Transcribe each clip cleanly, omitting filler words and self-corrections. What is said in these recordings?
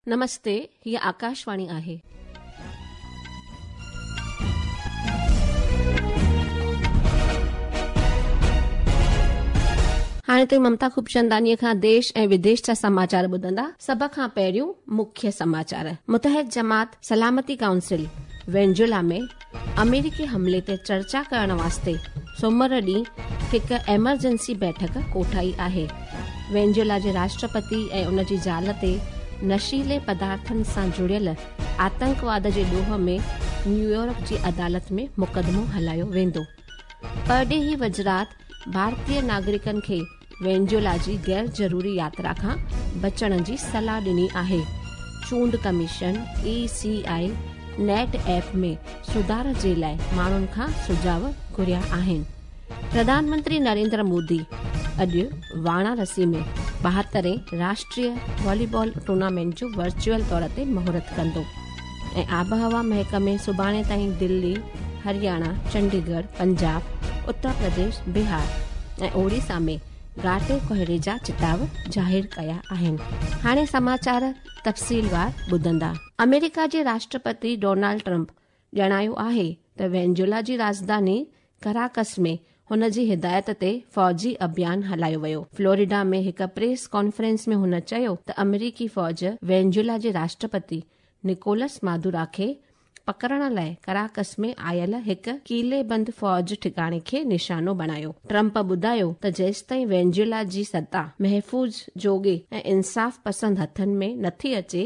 نمستي، هيء آڪاشواڻي آهي. هاڻي توهين ممتا خوبچنداڻيء کان ديش ۽ وديش جا سماچار ٻڌندا. سڀ کان پهريون مکيه سماچار. متحد جماعت سلامتي ڪائونسل وينزويلا ۾ آمريڪي حملي تي چرچا ڪرڻ واسطي سومر ڏينهن هڪ ايمرجنسي بيٺڪ ڪوٺائي آهي. وينزويلا جي راشٽرپتي ۽ ان جي زال تي نشيلي پدارٿن سان جڙيل آتنڪواد جي ڏوهه ۾ نيويارڪ جي عدالت ۾ مقدمو هلايو ويندو. پرڏيهي وزارت ڀارتي ناگرڪن کي وينزويلا جي غير ضروري ياترا کان بچڻ جي صلاح ڏني آهي. چونڊ commission, E C I, net app ۾ سڌار جي لاء ماڻهن کان سجهاء گهريا آهن. پرڌان منتري نريندر مودي اڄ واراڻسي ۾ ٻاهترين راشٽريه والي بال ٽورنامينٽ جو ورچوئل طور تي مهورت ڪندو ۽ آبهوا محڪمي سڀاڻي تائين دلي، هرياڻا، چنڊيڳڙهه، پنجاب، اتر پرديش، بهار ۽ اوڙيسا ۾ گهاٽي ڪوهيڙي جا چتاء ظاهر ڪيا آهن. هاڻي سماچار تفصيلوار ٻڌندا. آمريڪا جي راشٽرپتي ڊونالڊ ٽرمپ ڄاڻايو آهي ته وينزويلا جي راڄڌاني ڪراڪس ۾ هن جي هدايت تي فوجي اڀيان هلايو ويو. فلوريڊا ۾ هڪ پريس ڪانفرنس ۾ هن چيو ته آمريڪي فوج وينزويلا جي راشٽرپتي نڪولس مادورا کي پڪڙڻ لاء ڪراڪس ۾ آيل هڪ قلعي بند فوج ٺڪاڻي کي نشانو بڻايو. ٽرمپ ٻڌايو ته جيستائين وينزويلا جي ستا محفوظ، جوڳي ۽ انصاف پسند هٿن ۾ نٿي اچي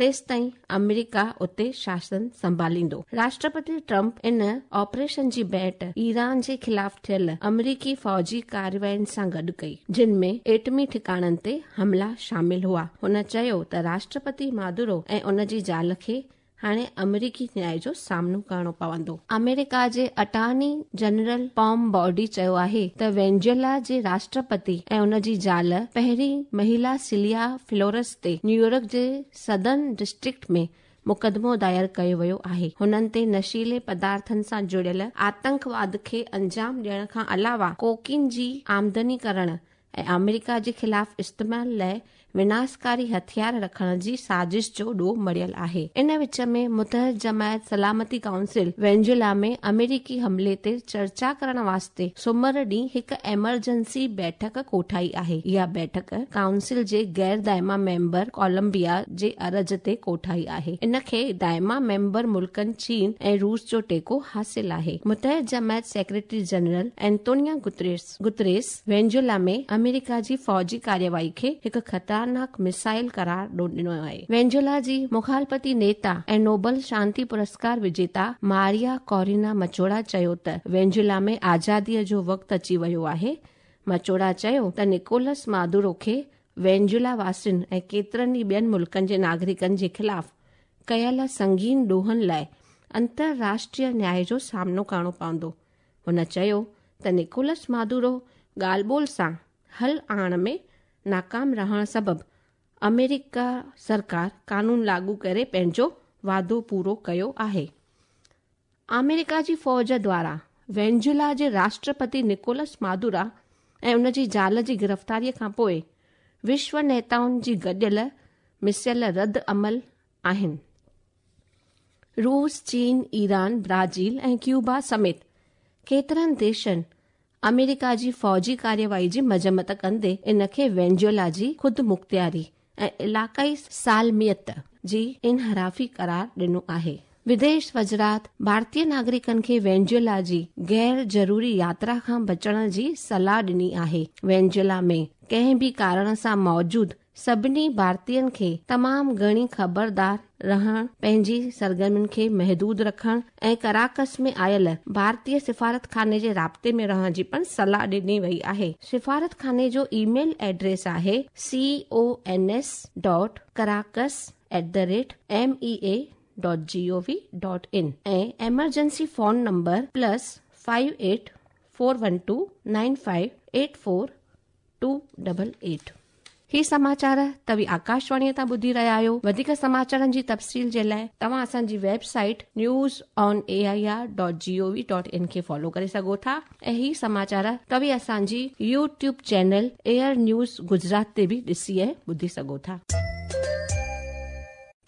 تيستائين آمريڪا اتي شاسن سنڀاليندو. راشٽرپتي ٽرمپ ان آپريشن جي ڀيٽ ايران جي خلاف ٿيل آمريڪي فوجي ڪاررواين سان گڏ ڪئي، جن ۾ ايٽمي ٺڪاڻن تي حملا شامل هئا. هن چيو ته راشٽرپتي مادورو ۽ ان جي زال کي هاڻي آمريڪي نياء جو سامنو ڪرڻو پوندو. آمريڪا جي اٽارني جنرل پام بورڊي چيو آهي ته وينزويلا جي راشٽرپتي ۽ ان جي زال پهرين مهيلا سيليا فلورس تي نيويارڪ جي سدرن ڊسٽرڪٽ ۾ مقدمو دائر ڪيو ويو آهي. هنن تي نشيلي پدارٿن سان جڙيل آتنڪواد کي انجام ڏيڻ کان علاوه ڪوڪين جي آمدني ڪرڻ ۽ آمريڪا جي خلاف استعمال لاء وناسڪاري هٿيار رکڻ جي سازش جو ڏوهه مڙهيل آهي. ان وچ ۾ متحد جماعت سلامتي ڪائونسل وينزويلا ۾ آمريڪي حملي تي چرچا ڪرڻ واسطي سومر ڏينهن هڪ ايمرجنسي بيٺڪ ڪوٺائي آهي. اها بيٺڪ ڪائونسل جي غير دائما ميمبر ڪولمبيا جي عرض تي ڪوٺائي آهي. ان کي دائما ميمبر ملڪن چين ۽ روس جو ٽيڪو حاصل آهي. متحد جماعت secretary general Antonio Guterres Guterres Venezuela ۾ آمريڪا جي فوجي ڪارروائي کي هڪ خطرناڪ ميزائل قرار ڏنو آهي. وينزويلا جي مخالفتي نيتا ۽ نوبل شانتي پرسڪار وجيتا ماريا ڪورينا مچوڙا چيو ته وينزويلا ۾ آزادي جو وقت اچي ويو آهي. مچوڙا چيو ته نڪولس مادورو کي وينزويلا واسين ۽ ڪيترن ئي ٻين ملڪن جي ناگرڪن جي خلاف ڪيل سنگين ڏوهن لاء انترراشٽريه نياء جو سامنو ڪرڻو پوندو. هن چيو ته نڪولس مادورو ڳالهه ٻولهه سان حل آڻڻ ۾ ناڪام رهڻ سبب آمريڪا سرڪار قانون لاڳو ڪري پنهنجو وعدو پورو ڪيو آهي. آمريڪا جي فوج دواران وينزويلا جي راشٽرپتي نڪولس مادورا ۽ ان جي زال جي گرفتاري کانپوء وشو نيتائن جي گڏيل مسيل رد عمل آهن. روس، چين، ايران، برازيل ۽ ڪيوبا سميت ڪيترن ديشن آمريڪا جي فوجي ڪارروائي جي مذمت ڪندي ان کي وينزويلا جي خودمختياري ۽ علاقائي سالميت جي انحرافي قرار ڏنو آهي. وديش وزارت ڀارتي ناگرڪن کي وينزويلا جي غير ضروري ياترا کان بچڻ جي صلاح ڏني آهي. وينزويلا ۾ ڪنهن به ڪارڻ سان موجود سڀني ڀارتين کي تمام گهڻي خبردار رهڻ، پنهنجي سرگرمين کي محدود رکڻ ۽ ڪراڪس ۾ آيل ڀارتي سفارتخاني جي رابطي ۾ رهڻ جي پڻ صلاح ڏني وئي آهي. سفارتخاني جو اي ميل ايڊريس آهي C O N S dot Caracas at the rate M E A dot G O V dot in ۽ emergency phone number plus five eight four one two nine five eight four two double eight. هي سماچار توهين آڪاشواڻيء تان ٻڌي رهيا آهيو. وڌيڪ سماچارن جي تفصيل جي لاء توهان اسان جي website news on A I R dot G O V dot in کي فالو ڪري سگهو ٿا ۽ هي سماچار توهين اسان جي YouTube channel AIR news Gujarat تي به ڏسي ۽ ٻڌي سگهو ٿا.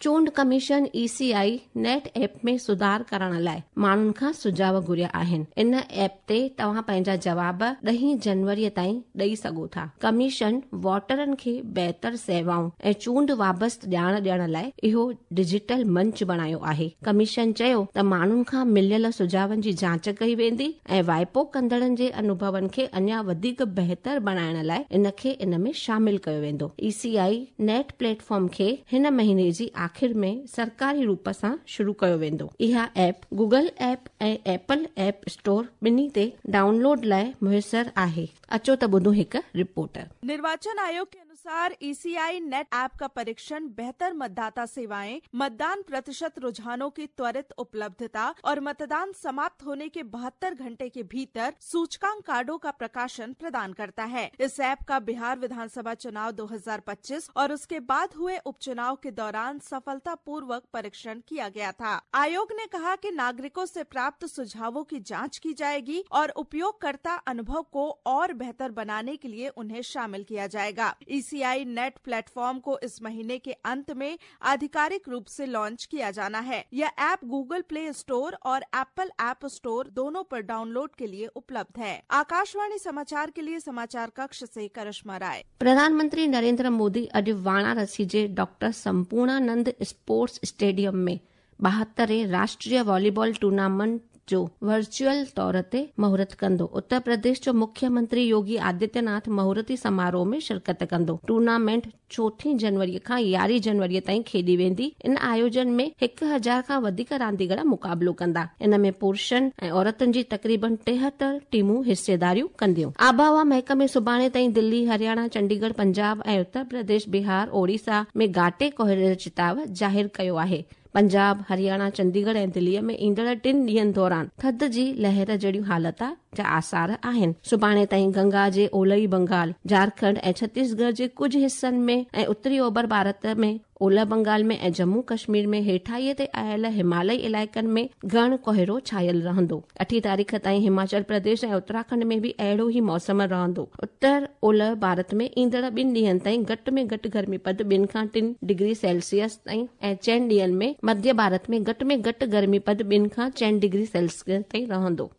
چونڊ commission E C I net app ۾ سڌار ڪرڻ لاءِ ماڻهن کان سجهاءُ گهريا آهن. ان ايپ تي توهان پنهنجا جواب 10 جنوري تائين ڏئي سگهو ٿا. ڪميشن ووٽرن کي بهتر سيوائون ۽ چونڊ وابسته ڄاڻ ڏيڻ لاءِ اهو ڊجيٽل منچ بڻايو آهي. ڪميشن چيو ته ماڻهن کان مليل سجهاون جي جاچ ڪئي ويندي ۽ وائپو ڪندڙن جي انڀون کي اڃا وڌيڪ بهتر بڻائڻ لاءِ ان کي ان ۾ شامل ڪيو ويندو. E C I net platform کي هن مهيني جي آخر ۾ سرڪاري روپ سان شروع ڪيو ويندو. اها app Google app ۽ Apple app store ٻنهي تي ڊائونلوڊ لاءِ ميسر آهي. اچو ته ٻڌون هڪ رپورٽ. निर्वाचन आयोग के अनुसार ईसीआई नेट ऐप का परीक्षण बेहतर मतदाता सेवाएं, मतदान प्रतिशत रुझानों की त्वरित उपलब्धता और मतदान समाप्त होने के 72 घंटे के भीतर सूचकांक कार्डों का प्रकाशन प्रदान करता है। इस ऐप का बिहार विधानसभा चुनाव 2025 और उसके बाद हुए उपचुनाव के दौरान सफलतापूर्वक परीक्षण किया गया था। आयोग ने कहा कि नागरिकों से प्राप्त सुझावों की जांच की जाएगी और उपयोगकर्ता अनुभव को और बेहतर बनाने के लिए उन्हें शामिल किया जाएगा। ईसीआई नेट प्लेटफॉर्म को इस महीने के अंत में आधिकारिक रूप से लॉन्च किया जाना है। यह ऐप गूगल प्ले स्टोर और एप्पल ऐप स्टोर दोनों पर डाउनलोड के लिए उपलब्ध है। आकाशवाणी समाचार के लिए समाचार कक्ष से करिश्मा राय। प्रधानमंत्री नरेंद्र मोदी अॼु वाराणसी जे डॉक्टर संपूर्णानंद स्पोर्ट्स स्टेडियम में 72 राष्ट्रीय वॉलीबॉल टूर्नामेंट जो वर्चुअल तौर ते मुहूर्त कंदो। उत्तर प्रदेश जो मुख्यमंत्री योगी आदित्यनाथ मुहूर्ती समारोह में शिरकत कंदो। टूर्नामेंट 4 जनवरी खां 11 जनवरी ताईं खेॾी वेंदी। इन आयोजन में 1000 खां वधीक रांदीगर मुक़ाबिलो कंदा। इन में पुरुषनि ऐं औरतुनि जी तक़रीबन 73 टीमूं हिस्सेदारियूं कंदियूं। आबहवा महकमे सुभाणे ताईं दिल्ली, हरियाणा, चंडीगढ़, पंजाब ऐं उत्तर प्रदेश, बिहार, ओडिशा में घाटे कोहरे जो चिताव ज़ाहिर कयो आहे। पंजाब, हरियाणा, चंडीगढ़ ऐं दिल्लीअ में ईंदड़ 3 ॾींहनि दौरान थधि जी लहर जहिड़ियूं हालत जा आसार आहिनि। सुभाणे ताईं गंगा जे ओलही बंगाल, झारखंड ऐं छत्तीसगढ़ जे कुझु हिसनि में ऐं उत्तरी ओभर भारत में, ओलह बंगाल में ऐं जम्मू कश्मीर में हेठाईअ ते आयल हिमालयी इलाइक़नि में घण कोहरो छायल रहंदो। 8 तारीख़ ताईं हिमाचल प्रदेश ऐं उत्तराखंड में बि अहिड़ो ई मौसम रहंदो। उत्तर ओलह भारत में ईंदड़ 2 ॾींहनि ताईं घटि में घटि गर्मी पद 2 खां 3 डिग्री सेल्सियस ताईं ऐं 4 ॾींहनि में मध्य भारत में घटि में घटि गर्मी पद 2 खां 4 डिग्री सेल्सियस ताईं रहंदो।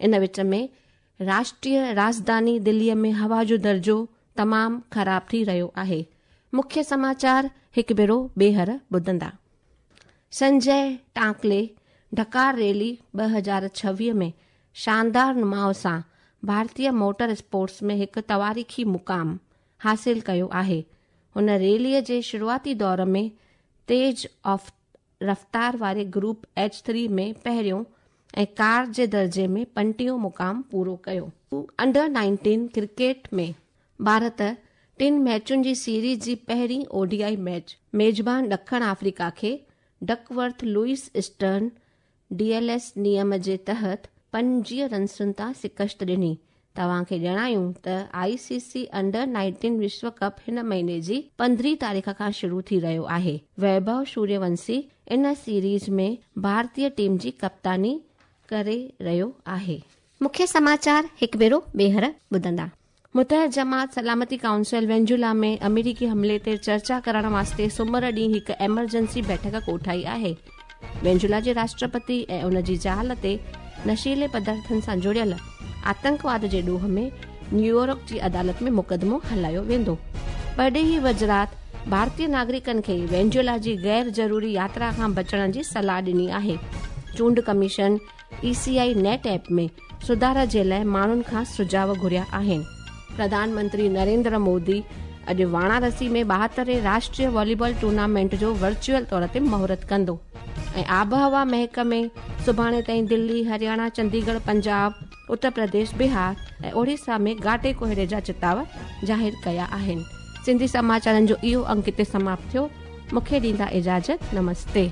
इन विच में राष्ट्रीय राजधानी दिल्लीअ में हवा जो दर्जो तमामु ख़राब थी रहियो आहे। मुख्य समाचार हिकु भेरो ॿीहर ॿुधंदा। संजय टांकले डकार रैली 2026 में शानदार नुमाउ सां भारतीय मोटर स्पोर्ट्स में हिकु तवारीख़ी मुक़ाम हासिल कयो आहे। हुन रैलीअ जे शुरूआती दौर में तेज़ रफ़्तार वारे ग्रुप H3 में पहिरियों ऐं कार जे दर्जे में 25 मुक़ाम पूरो कयो। अंडर 19 क्रिकेट में भारत 3 मैचुनि जी सीरीज़ जी पहिरीं ओडीआई मैच मेज़बान ॾखण अफ्रीका खे डकवर्थ लुइस स्टर्न DLS नियम जे तहत 25 रनसुनि तां शिकस्त ॾिनी। तव्हांखे ॼाणायूं त ICC under 19 विश्व कप हिन महीने जी 15 तारीख़ खां शुरू थी रहियो आहे। वैभव सूर्यवंशी इन सीरीज़ में भारतीय टीम जी कप्तानी करे रहियो आहे। मुख्य समाचार हिकु भेरो ॿीहर ॿुधंदा। मुतहद जमात सलामती काउंसिल वेनेजुएला में अमेरिकी हमले ते चर्चा करण वास्ते सुमर ॾींहुं हिकु एमरजेंसी बैठक कोठाई आहे। वेनेजुएला जे राष्ट्रपति ऐं उन जी ज़ाल ते नशीले पदार्थनि सां जुड़ियल आतंकवाद जे ॾोह में न्यूयॉर्क जी अदालत में मुक़दमो हलायो वेंदो। परॾेही वज़ारत भारतीय नागरिकनि खे वेनेजुएला जी गैर ज़रूरी यात्रा खां बचण जी सलाह ॾिनी आहे। चूंड कमीशन ECI net app में सुधार जे लाइ माण्हुनि खां सुझाव घुरिया आहिनि। प्रधानमंत्री नरेंद्र मोदी अॼु वाराणसी में 72 राष्ट्रीय वॉलीबॉल टूर्नामेंट जो वर्चुअल तौर ते मुहूर्त कंदो। ऐं आबहवा महकमे सुभाणे ताईं दिल्ली, हरियाणा, चंडीगढ़, पंजाब, उत्तर प्रदेश, बिहार ऐं ओडिशा में घाटे कोहरे जा चिताव ज़ाहिर कया आहिनि। सिंधी समाचारनि जो इहो अंक हिते समाप्त थियो। मूंखे ॾींदा इजाज़त। नमस्ते।